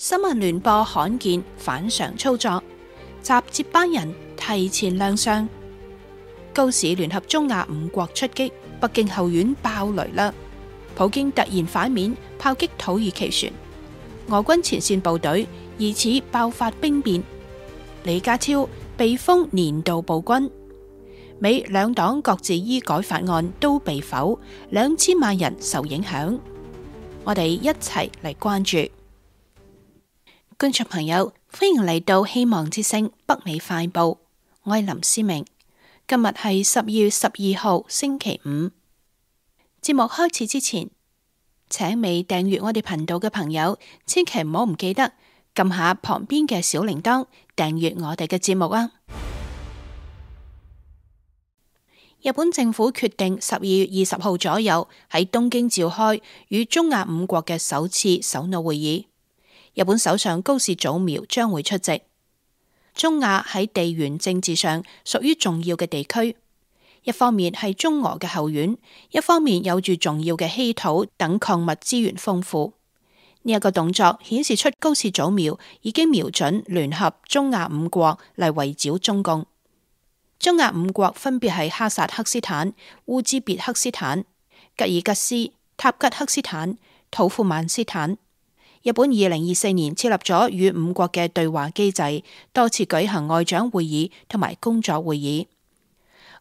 新聞聯播罕見反常操作，集接班人提前亮相。高市聯合中亞5國出擊，北京後院爆雷啦！普京突然反面炮擊土耳其船，俄軍前線部隊疑似爆發兵變。李家超被封年度暴君，美兩黨各自醫改法案都被否，2000萬人受影響。我哋一齊嚟關注。觀眾朋友，歡迎嚟到希望之聲北美快報，我係林思明。今日係12月12號星期五。節目開始之前，請未訂閱我哋頻道嘅朋友，千祈唔好唔記得撳下旁邊嘅小鈴鐺，訂閱我哋嘅節目啊！日本政府決定12月20號左右喺東京召開與中亞5國嘅首次首腦會議。日本首相高市早苗將會出席。中亞喺地緣政治上屬於重要嘅地區，一方面係中俄嘅後院，一方面有住重要嘅稀土等礦物資源豐富。呢一個動作顯示出高市早苗已經瞄準聯合中亞5國嚟圍剿中共。中亞5國分別係哈薩克斯坦、烏茲別克斯坦、吉爾吉斯、塔吉克斯坦、土庫曼斯坦。日本2024年設立咗與5國嘅對話機制，多次舉行外長會議同埋工作會議。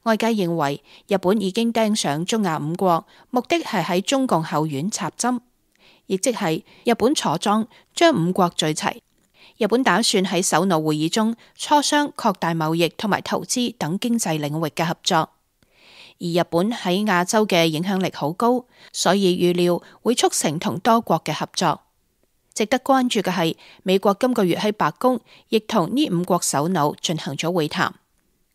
外界認為日本已經盯上中亞5國，目的係喺中共後院插針，亦即係日本坐莊將5國聚齊。日本打算喺首腦會議中磋商擴大貿易同埋投資等經濟領域嘅合作。而日本喺亞洲嘅影響力好高，所以預料會促成同多國嘅合作。值得關注嘅係，美國今個月喺白宮亦同呢5國首腦進行咗會談。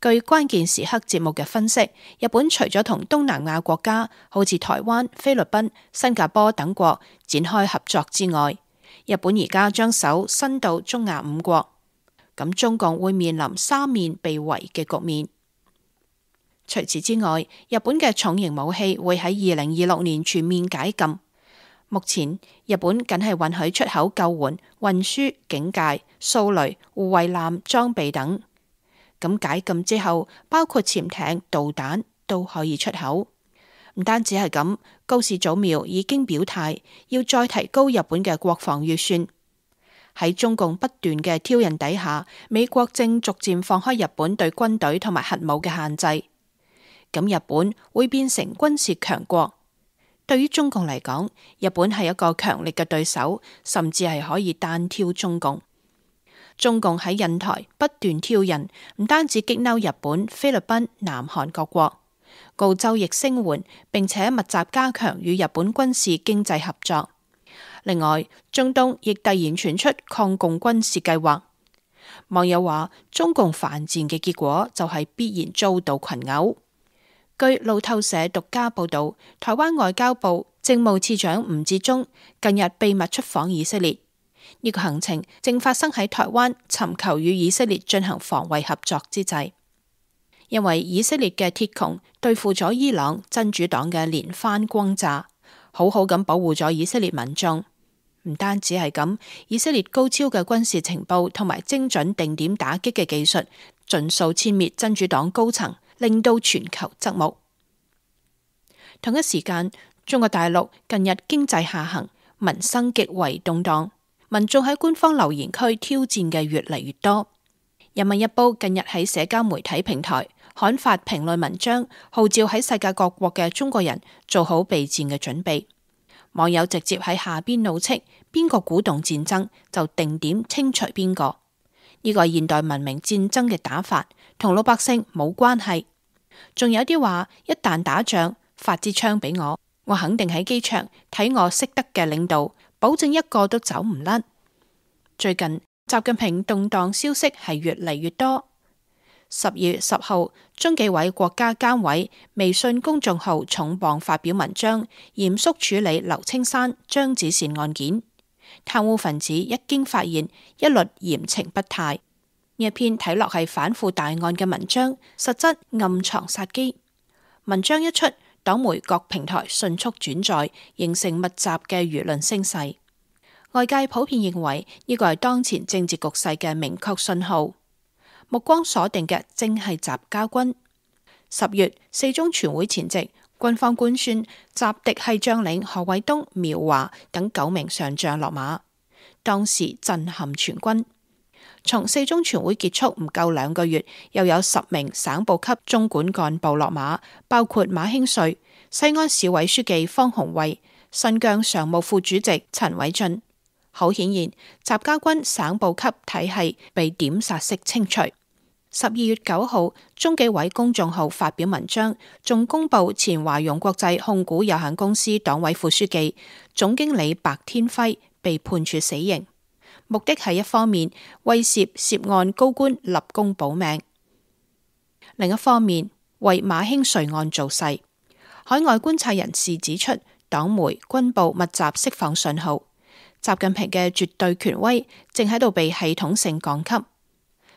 據關鍵時刻節目嘅分析，日本除咗同東南亞國家好似台灣、菲律賓、新加坡等國展開合作之外，日本而家將手伸到中亞5國，咁中共會面臨三面被圍嘅局面。除此之外，日本嘅重型武器會喺2026年全面解禁。目前，日本僅係允許出口救援、運輸、警戒、掃雷、護衛艦裝備等。咁解禁之後，包括潛艇、導彈都可以出口。唔單止係咁，高市早苗已經表態要再提高日本嘅國防預算。喺中共不斷嘅挑釁底下，美國正逐漸放開日本對軍隊同埋核武嘅限制。咁日本會變成軍事強國。對於中共嚟講，日本係一個強力嘅對手，甚至係可以單挑中共。中共喺印台不斷挑釁，唔單止激嬲日本、菲律賓、南韓各國，澳洲亦聲援，並且密集加強與日本軍事經濟合作。另外，中東亦突然傳出抗共軍事計劃。網友話，中共犯賤嘅結果就係必然遭到群毆。據路透社獨家報道，台灣外交部政務次長吳志忠近日秘密出訪以色列，呢個行程正發生喺台灣尋求與以色列進行防衛合作之際。因為以色列嘅鐵穹對付咗伊朗真主黨嘅連番轟炸，好好咁保護咗以色列民眾。唔單止係咁，以色列高超嘅軍事情報同埋精準定點打擊嘅技術，盡數殲滅真主黨高層，令到全球側目。同一時間，中國大陸近日經濟下行，民生極為動盪，民眾喺官方留言區挑戰嘅越嚟越多。人民日報近日喺社交媒體平台刊發評論文章，號召喺世界各國嘅中國人做好備戰嘅準備。網友直接喺下邊怒斥，邊個鼓動戰爭就定點清除邊個。呢個係現代文明戰爭嘅打法，同老百姓冇關係。仲有啲話，一旦打仗，發支槍俾我，我肯定喺機場睇我識得嘅領導，保證一個都走唔甩。最近習近平動盪消息係越嚟越多。12月10號，中紀委國家監委微信公眾號重磅發表文章，嚴肅處理劉青山、張子善案件。貪污分子一經發現，一律嚴懲不貸。呢一篇睇落係反腐大案嘅文章，實質暗藏殺機。文章一出，黨媒各平台迅速轉載，形成密集嘅輿論聲勢。外界普遍認為呢個係當前政治局勢嘅明確信號，目光鎖定嘅正係習家軍。10月四中全會前夕，軍方官宣習嫡系將領何衛東、苗華等9名上將落馬，當時震撼全軍。從四中全會結束唔夠2個月，又有10名省部級中管幹部落馬，包括馬興瑞、西安市委書記方鴻衛、新疆常務副主席陳偉俊。好顯然，習家軍省部級體系被點剎式清除。12月9號，中紀委公眾號發表文章，仲公布前華融國際控股有限公司黨委副書記、總經理白天輝被判處死刑，目的係一方面威懾涉案高官立功保命，另一方面為馬興瑞案造勢。海外觀察人士指出，黨媒、軍報密集釋放信號，習近平嘅絕對權威正喺度被系統性降級，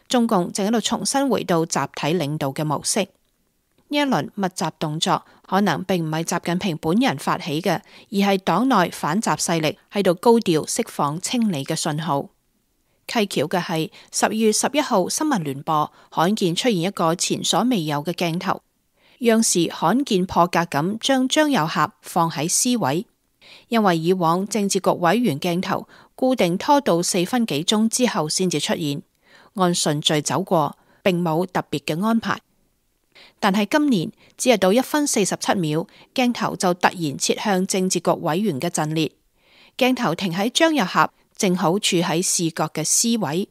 中共正喺度重新回到集體領導嘅模式。呢一輪密集動作可能並唔係習近平本人發起嘅，而係黨內反習勢力喺度高調釋放清理嘅信號。蹊蹺嘅係12月11號新聞聯播罕見出現一個前所未有嘅鏡頭，央視罕見破格咁將張又俠放喺 C 位。因為以往政治局委員鏡頭固定拖到4分幾鐘之後先至出現，按順序走過，並冇特別嘅安排。但係今年只係到1分47秒，鏡頭就突然切向政治局委員嘅陣列，鏡頭停喺張又俠正好處喺視覺嘅 C 位。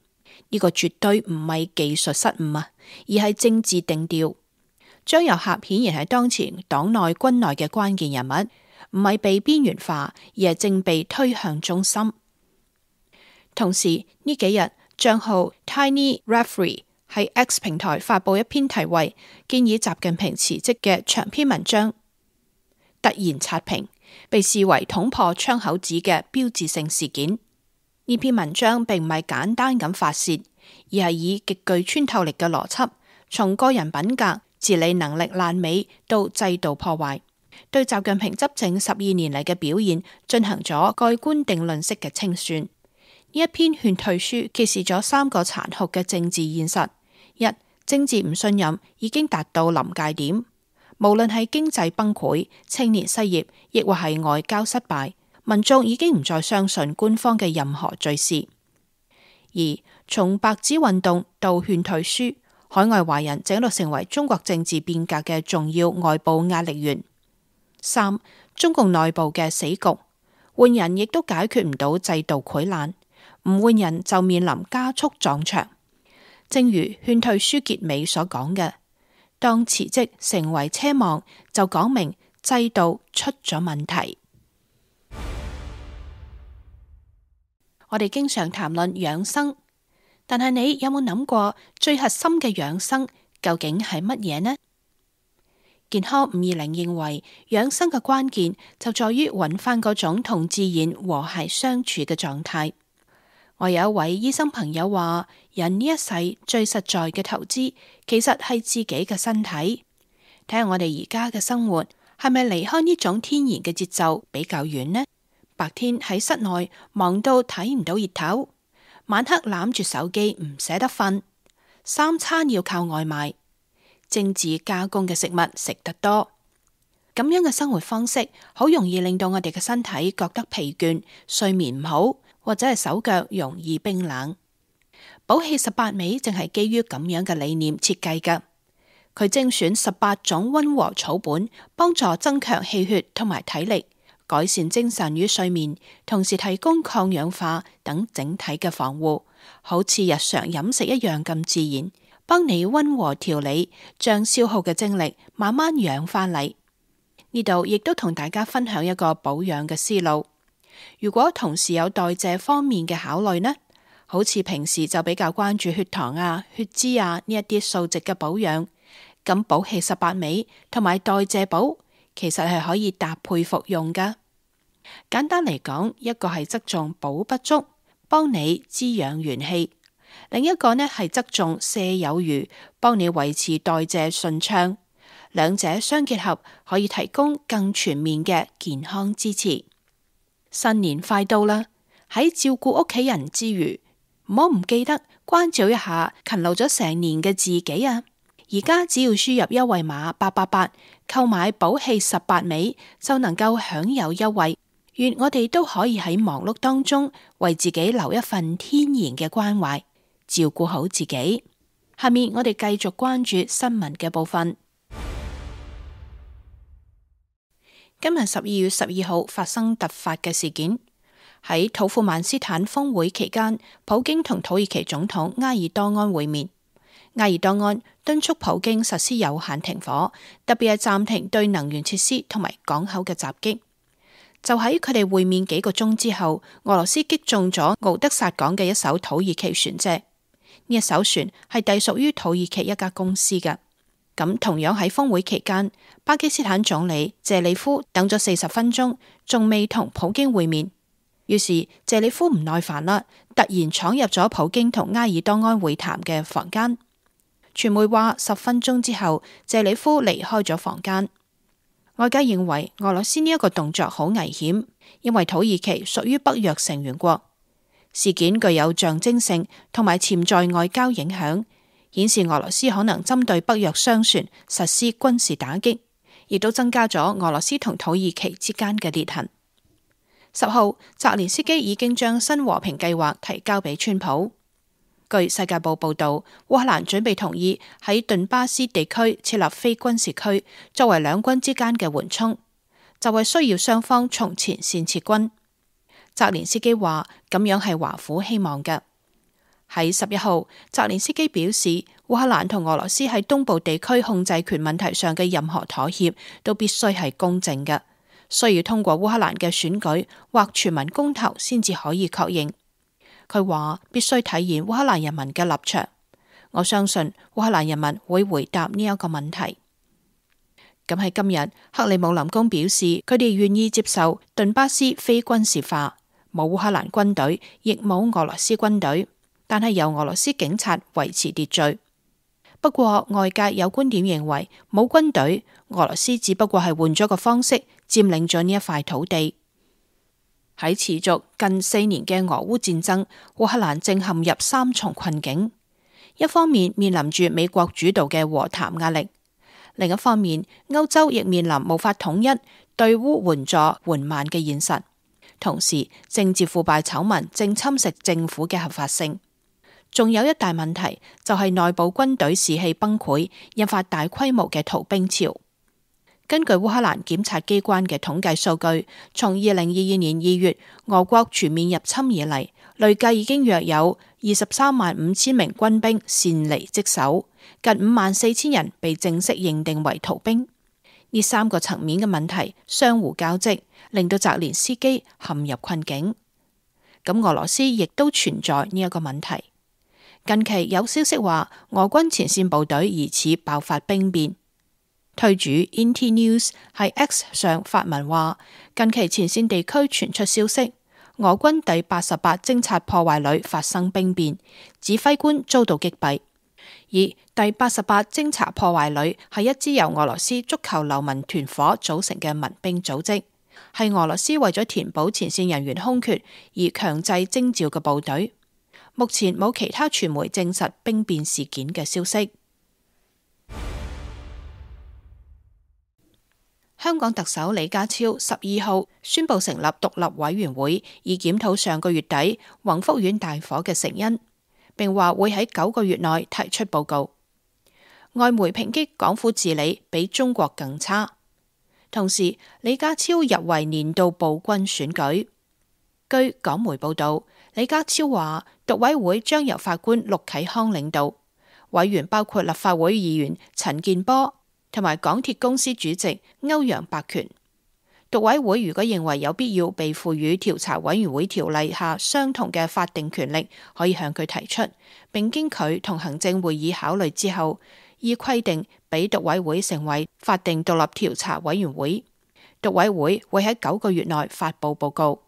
呢個絕對唔係技術失誤啊，而係政治定調。張又俠顯然係當前黨內軍內嘅關鍵人物，唔係被邊緣化，而係正被推向中心。同時呢幾日，賬號 Tiny Referee 喺 X 平台發佈一篇題為建議習近平辭職嘅長篇文章，突然刷屏，被視為捅破窗口紙嘅標誌性事件。呢篇文章並唔係簡單咁發洩，而係以極具穿透力嘅邏輯，從個人品格、治理能力爛尾到制度破壞，對習近平執政12年嚟嘅表現進行咗蓋棺定論式嘅清算。呢一篇勸退書揭示咗3個殘酷嘅政治現實：一、政治唔信任已經達到臨界點，無論係經濟崩潰、青年失業，亦或係外交失敗，民眾已經唔再相信官方嘅任何敘事。二、從白紙運動到勸退書，海外華人正喺度成為中國政治變革嘅重要外部壓力源。3、中共內部嘅死局，換人亦都解決唔到制度潰爛，唔換人就面臨加速撞牆。正如勸退書結尾所講嘅，當辭職成為奢望，就講明制度出咗問題。我哋經常談論養生，但係你有冇諗過最核心嘅養生究竟係乜嘢呢？健康520認為，養生嘅關鍵就在於揾翻嗰種同自然和諧相處嘅狀態。我有一位醫生朋友話，人呢一世最實在嘅投資，其實係自己嘅身體。睇下我哋而家嘅生活，係咪離開呢種天然嘅節奏比較遠呢？白天喺室內忙到睇唔到熱頭，晚黑攬住手機唔捨得瞓，3餐要靠外賣，精緻加工嘅食物食得多，咁樣嘅生活方式好容易令到我哋嘅身體覺得疲倦，睡眠唔好，或者係手腳容易冰冷。寶氣18味正係基於咁樣嘅理念設計㗎，佢精選18種溫和草本，幫助增強氣血同埋體力，改善精神與睡眠，同時提供抗氧化等整體嘅防護，好似日常飲食一樣咁自然，幫你溫和調理，將消耗嘅精力慢慢養翻嚟。呢度亦都同大家分享一個保養嘅思路。如果同時有代謝方面嘅考慮呢，好似平時就比較關注血糖啊、血脂啊呢一啲數值嘅保養，咁寶氣18味同埋代謝寶其實係可以搭配服用噶。簡單嚟講，一個係側重補不足，幫你滋養元氣；另一個呢係側重瀉有餘，幫你維持代謝順暢。兩者相結合，可以提供更全面嘅健康支持。新年快到啦，喺照顧屋企人之餘，唔好唔記得關照一下勤勞咗成年嘅自己啊！而家只要輸入優惠碼888，購買寶氣18味就能夠享有優惠。願我哋都可以喺忙碌當中為自己留一份天然嘅關懷，照顧好自己。下面我哋繼續關注新聞嘅部分。今日12月12號發生突發嘅事件，喺土庫曼斯坦峰會期間，普京同土耳其總統埃爾多安會面。埃爾多安敦促普京實施有限停火，特別係暫停對能源設施同埋港口嘅襲擊。就喺佢哋會面幾個鐘之後，俄羅斯擊中咗敖德薩港嘅一艘土耳其船隻。呢一艘船係隸屬於土耳其一家公司嘅。咁同樣喺峰會期間，巴基斯坦總理謝里夫等咗40分鐘，仲未同普京會面。於是謝里夫唔耐煩啦，突然闖入咗普京同埃爾多安會談嘅房間。傳媒話10分鐘之後，謝里夫離開咗房間。外界認為俄羅斯呢一個動作好危險，因為土耳其屬於北約成員國。事件具有象徵性同埋潛在外交影響，顯示俄羅斯可能針對北約商船實施軍事打擊，亦都增加咗俄羅斯同土耳其之間嘅裂痕。10號，澤連斯基已經將新和平計劃提交俾川普。據世界報報道，烏克蘭準備同意喺頓巴斯地區設立非軍事區，作為兩軍之間嘅緩衝，就係需要雙方從前線撤軍。澤連斯基話咁樣係華府希望嘅。喺11號，澤連斯基表示，烏克蘭同俄羅斯喺東部地區控制權問題上嘅任何妥協都必須係公正嘅，需要通過烏克蘭嘅選舉或全民公投先至可以確認。佢話必須體現烏克蘭人民嘅立場，我相信烏克蘭人民會回答呢一個問題。咁喺今日，克里姆林宮表示佢哋願意接受頓巴斯非軍事化，冇烏克蘭軍隊，亦冇俄羅斯軍隊，但係由俄羅斯警察維持秩序。不過外界有觀點認為，冇軍隊，俄羅斯只不過係換咗個方式佔領咗呢一塊土地。喺持續近4年嘅俄烏戰爭，烏克蘭正陷入3重困境。一方面面臨住美國主導嘅和談壓力，另一方面歐洲亦面臨無法統一對烏援助緩慢嘅現實。同時政治腐敗醜聞正侵蝕政府嘅合法性。仲有一大問題就係內部軍隊士氣崩潰，引發大規模嘅逃兵潮。根據烏克蘭檢察機關嘅統計數據，從2022年2月俄國全面入侵以嚟，累計已經約有235000名軍兵擅離職守，近54000人被正式認定為逃兵。呢3個層面嘅問題相互交織，令到澤連斯基陷入困境。咁俄羅斯亦都存在呢一個問題。近期有消息話，俄軍前線部隊疑似爆發兵變。推主 Inti News 喺 X 上發文話，近期前線地區傳出消息，俄軍第88偵察破壞旅發生兵變，指揮官遭到擊斃。而第88偵察破壞旅係一支由俄羅斯足球流氓團伙組成嘅民兵組織，係俄羅斯為咗填補前線人員空缺而強制徵召嘅部隊。目前冇其他傳媒證實兵變事件嘅消息。香港特首李家超12號宣布成立獨立委員會，以檢討上個月底宏福苑大火嘅成因，並話會喺9個月內提出報告。外媒抨擊港府治理比中國更差，同時李家超入圍年度暴君選舉。據港媒報道，李家超話獨委會將由法官陸啟康領導，委員包括立法會議員陳健波同埋港鐵公司主席歐陽伯權。獨委會如果認為有必要被賦予調查委員會條例下相同嘅法定權力，可以向佢提出，並經佢同行政會議考慮之後，依規定俾獨委會成為法定獨立調查委員會。獨委會會喺9個月內發布報告。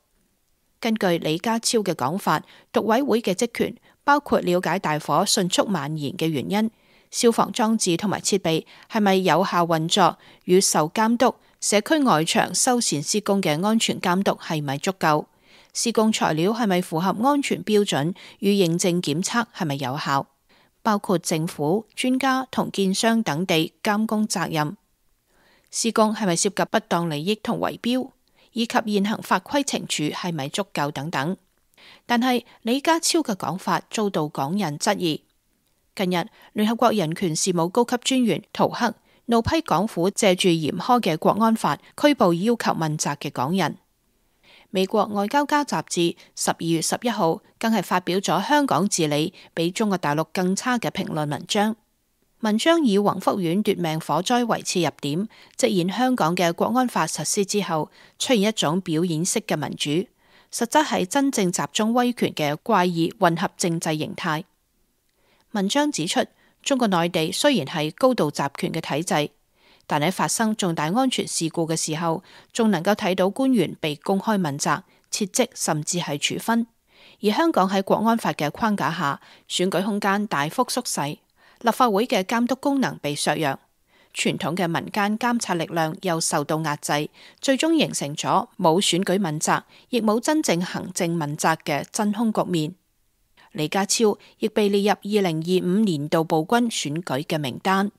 根據李家超嘅講法，獨委會嘅職權包括了解大火迅速蔓延嘅原因、消防裝置同埋設備係咪有效運作與受監督、社區外牆修繕施工嘅安全監督係咪足夠、施工材料係咪符合安全標準與認證檢測係咪有效，包括政府、專家同建商等地監工責任，施工係咪涉及不當利益同圍標，以及現行法規懲處係咪足夠等等。但係李家超嘅講法遭到港人質疑。近日，聯合國人權事務高級專員陶克怒批港府借住嚴苛嘅國安法拘捕要求問責嘅港人。美國外交家雜誌12月11號更係發表咗香港治理比中國大陸更差嘅評論文章。文章以宏福苑奪命火災為切入點，直言香港嘅國安法實施之後，出現一種表演式嘅民主，實質係真正集中威權嘅怪異混合政制形態。文章指出，中國內地雖然係高度集權嘅體制，但喺發生重大安全事故嘅時候，仲能夠睇到官員被公開問責、撤職甚至係處分。而香港喺國安法嘅框架下，選舉空間大幅縮細，立法會嘅監督功能被削弱，傳統嘅民間監察力量又受到壓制，最終形成咗冇選舉問責，亦冇真正行政問責嘅真空局面。李家超亦被列入2025年度暴君選舉嘅名單。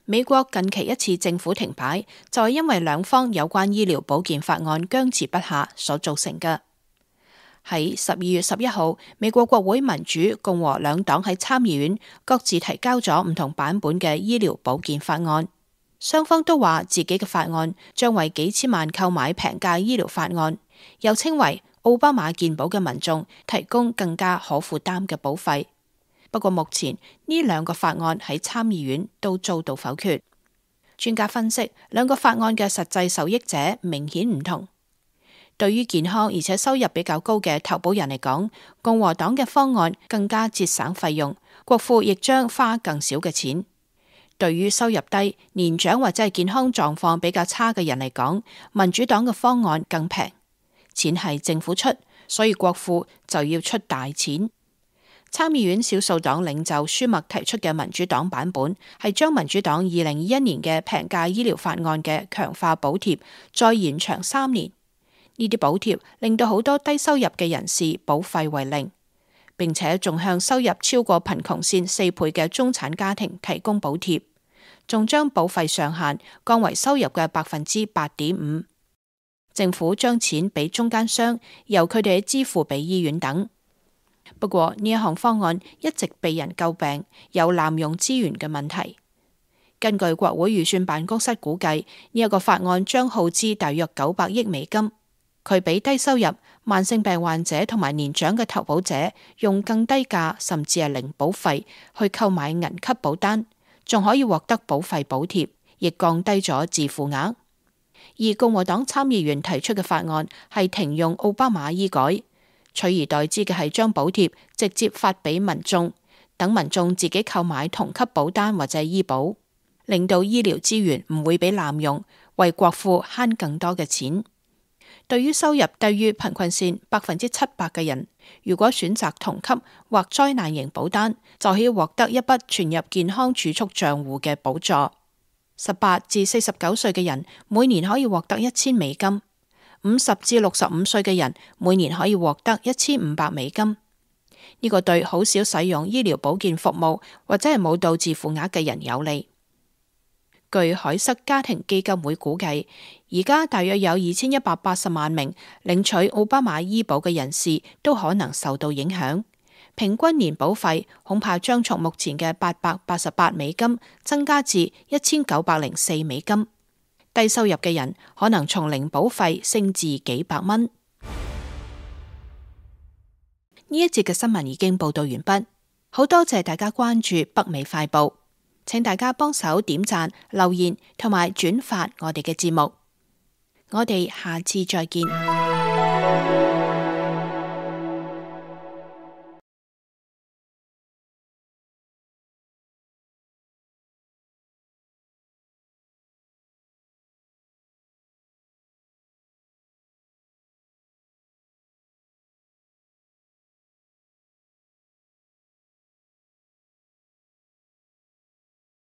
美國近期一次政府停擺，就係因為兩方有關醫療保健法案僵持不下所造成嘅。喺12月11號，美國國會民主、共和兩黨喺參議院各自提交咗唔同版本嘅醫療保健法案，雙方都話自己嘅法案將為幾千萬購買平價醫療法案，又稱為奧巴馬健保嘅民眾提供更加可負擔嘅保費。不過目前呢兩個法案喺參議院都遭到否決。專家分析，兩個法案嘅實際受益者明顯唔同。對於健康而且收入比較高嘅投保人嚟講，共和黨嘅方案更加節省費用，國庫亦將花更少嘅錢。對於收入低、年長或者係健康狀況比較差嘅人嚟講，民主黨嘅方案更平。錢係政府出，所以國庫就要出大錢。參議院少數黨領袖舒默提出嘅民主黨版本係將民主黨2021年嘅平價醫療法案嘅強化補貼再延長3年。呢啲補貼令到好多低收入嘅人士保費為零，並且仲向收入超過貧窮線4倍嘅中產家庭提供補貼，仲將保費上限降為收入嘅8.5%。政府將錢俾中間商，由佢哋支付俾醫院等。不過呢一項方案一直被人詬病，有濫用資源嘅問題。根據國會預算辦公室估計，呢一個法案將耗資大約900億美金。佢俾低收入、慢性病患者同埋年長嘅投保者用更低價甚至係零保費去購買銀級保單，仲可以獲得保費補貼，亦降低咗自付額。而共和黨參議員提出嘅法案係停用奧巴馬醫改，取而代之嘅係將補貼直接發俾民眾，等民眾自己購買同級保單或者醫保，令到醫療資源唔會被濫用，為國庫慳更多嘅錢。對於收入低於貧困線7%嘅人，如果選擇同級或災難型保單，就可以獲得一筆存入健康儲蓄賬戶嘅補助。18至49歲嘅人每年可以獲得1000美金，50至65歲嘅人每年可以獲得1500美金。呢個對好少使用醫療保健服務或者係冇到自付額嘅人有利。據海瑟家庭基金會估計，而家大約有2180萬名領取奧巴馬醫保嘅人士都可能受到影響。平均年保費恐怕將從目前嘅888美金增加至1904美金。低收入嘅人可能從零保費升至幾百蚊。呢一節嘅新聞已經報道完畢，好多謝大家關注北美快報，請大家幫手點讚、留言同埋轉發我哋嘅節目。我哋下次再見。